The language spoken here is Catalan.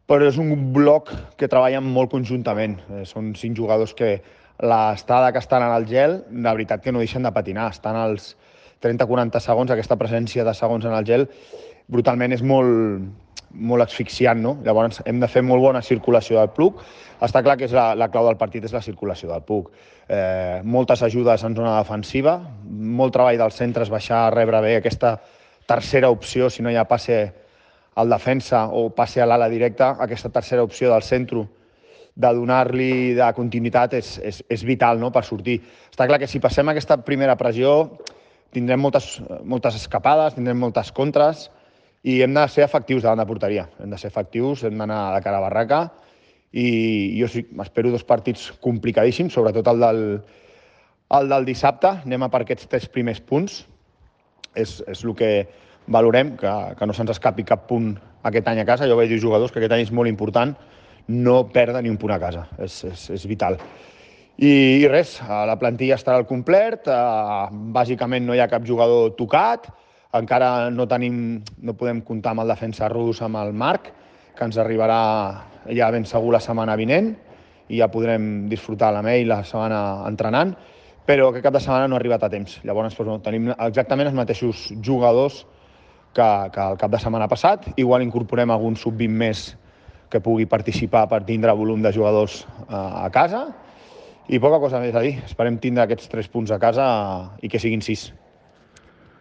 però és un bloc que treballen molt conjuntament. Són 5 jugadors que l'estada que estan en el gel, de veritat que no deixen de patinar. Estan als 30-40 segons, aquesta presència de segons en el gel, brutalment és molt asfixiant, no? Llavors hem de fer molt bona circulació del puck. Està clar que és la clau del partit és la circulació del puck. Moltes ajudes en zona defensiva, molt treball dels centres, baixar a rebre bé aquesta tercera opció, si no hi ha passe al defensa o passe a l'ala directa, aquesta tercera opció del centre de donar-li de continuïtat és vital, no?, per sortir. Està clar que si passem aquesta primera pressió tindrem moltes escapades, tindrem moltes contres i hem de ser efectius davant de porteria. Hem de ser efectius, hem d'anar de cara a barraca i jo sí, m'espero 2 partits complicadíssims, sobretot el del dissabte. Anem a per aquests 3 primers punts. És el que valorem, que no se'ns escapi cap punt aquest any a casa. Jo vaig dir als jugadors que aquest any és molt important no perdre ni un punt a casa, és vital. I res, la plantilla estarà al complet, bàsicament no hi ha cap jugador tocat, encara no podem comptar amb el defensa rus, amb el Marc, que ens arribarà ja ben segur la setmana vinent, i ja podrem disfrutar amb ell la setmana entrenant, però aquest cap de setmana no ha arribat a temps. Llavors tenim exactament els mateixos jugadors que el cap de setmana passat. Igual incorporem algun sub-20 més que pugui participar per tindre volum de jugadors a casa. I poca cosa més a dir. Esperem tindre aquests 3 punts a casa i que siguin 6.